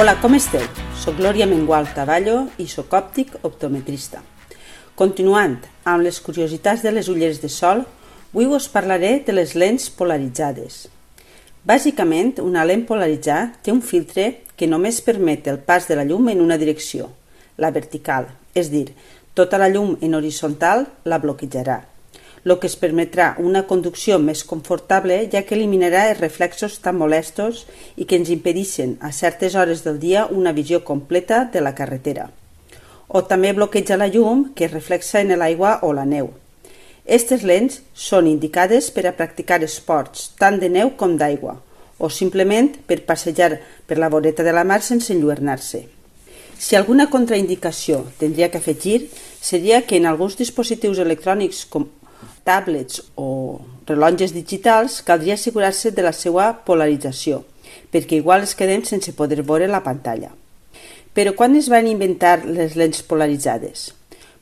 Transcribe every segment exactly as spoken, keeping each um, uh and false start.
Hola, com esteu? Soc Glòria Mengual Taballo i soc òptic optometrista. Continuant amb les curiositats de les ulleres de sol, avui us parlaré de les lents polaritzades. Bàsicament, una lent polaritzada té un filtre que només permet el pas de la llum en una direcció, la vertical, és a dir, tota la llum en horitzontal la bloquejarà, el que es permetrà una conducció més confortable, ja que eliminarà els reflexos tan molestos i que ens impedeixen a certes hores del dia una visió completa de la carretera. O també bloqueja la llum que es reflexa en l'aigua o la neu. Aquestes lents són indicades per a practicar esports tant de neu com d'aigua, o simplement per passejar per la voreta de la mar sense enlluernar-se. Si alguna contraindicació tindria que afegir, seria que en alguns dispositius electrònics com tablets o rellotges digitals caldria assegurar-se de la seva polarització, perquè igual es quedem sense poder veure la pantalla. Però quan es van inventar les lents polaritzades?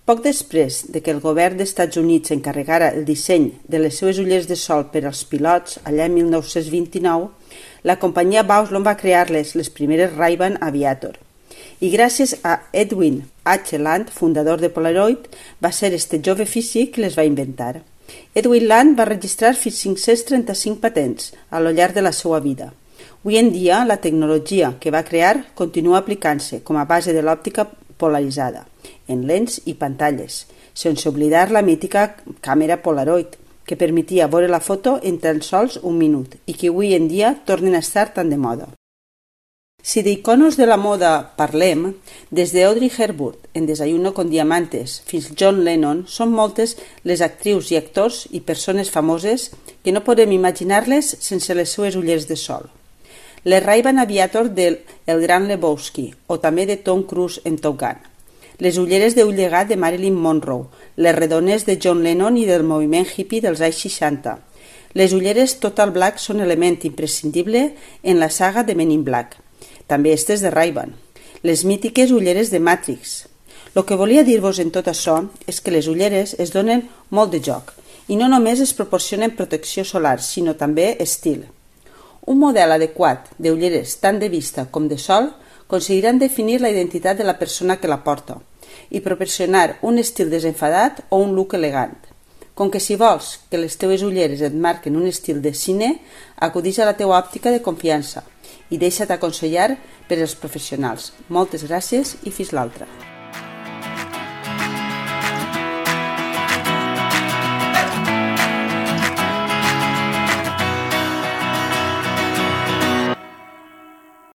Poc després de que el govern dels Estats Units encarregara el disseny de les seves ulleres de sol per als pilots allà en mil nou-cents vint-i-nou, la companyia Bausch va crear-les les primeres Ray-Ban Aviator. I gràcies a Edwin H. Land, fundador de Polaroid, va ser este jove físic que les va inventar. Edwin Land va registrar fins cinc-cents trenta-cinc patents a lo llarg de la seva vida. Avui en dia, la tecnologia que va crear continua aplicant-se com a base de l'òptica polaritzada, en lents i pantalles, sense oblidar la mítica càmera Polaroid, que permetia veure la foto en tan sols un minut i que avui en dia tornen a estar tan de moda. Si d'iconos de la moda parlem, des d'Audrey Hepburn en Desayuno con Diamantes fins John Lennon, són moltes les actrius i actors i persones famoses que no podem imaginar-les sense les seues ulleres de sol. Les Ray-Ban Aviator del El Gran Lebowski o també de Tom Cruise en Top Gun. Les ulleres d'ull llegat de Marilyn Monroe, les redones de John Lennon i del moviment hippie dels anys seixanta. Les ulleres Total Black són element imprescindible en la saga de Men in Black. També estes de Ray-Ban, les mítiques ulleres de Matrix. El que volia dir-vos en tot això és que les ulleres es donen molt de joc i no només es proporcionen protecció solar, sinó també estil. Un model adequat d'ulleres tant de vista com de sol aconseguiran definir la identitat de la persona que la porta i proporcionar un estil desenfadat o un look elegant. Com que si vols que les teves ulleres et marquen un estil de cine, acudix a la teua òptica de confiança i deixa't aconsellar per als professionals. Moltes gràcies i fins l'altra.